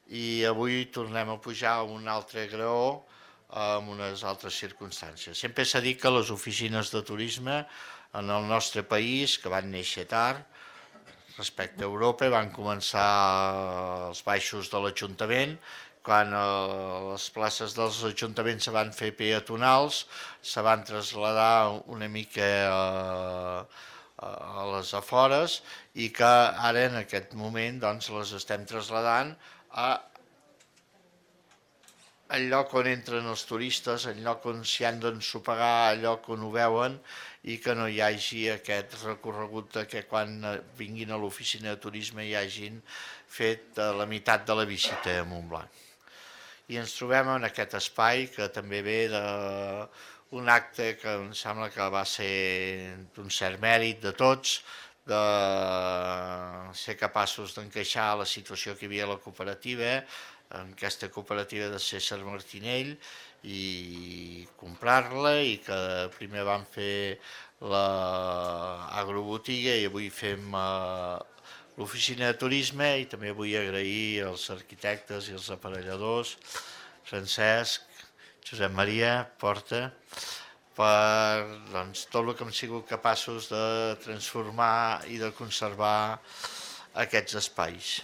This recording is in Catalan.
i avui tornem a pujar a un altre graó amb unes altres circumstàncies. Sempre s'ha dit que les oficines de turisme en el nostre país, que van néixer tard, respecte a Europa, van començar als baixos de l'Ajuntament, quan les places dels ajuntaments se van fer peatonals, se van traslladar una mica a les afores i que ara en aquest moment doncs, les estem traslladant a el lloc on entren els turistes, el lloc on s'hi han d'ensopegar, el lloc on ho veuen i que no hi hagi aquest recorregut de que quan vinguin a l'oficina de turisme hi hagin fet la meitat de la visita a Montblanc. I ens trobem en aquest espai que també ve d'un acte que em sembla que va ser d'un cert mèrit de tots, de ser capaços d'encaixar la situació que hi havia a la cooperativa, en aquesta cooperativa de César Martinell, i comprar-la, i que primer vam fer l'agrobotiga i avui fem l'oficina de turisme, i també vull agrair als arquitectes i als aparelladors, Francesc, Josep Maria Porta, per doncs, tot el que hem sigut capaços de transformar i de conservar aquests espais.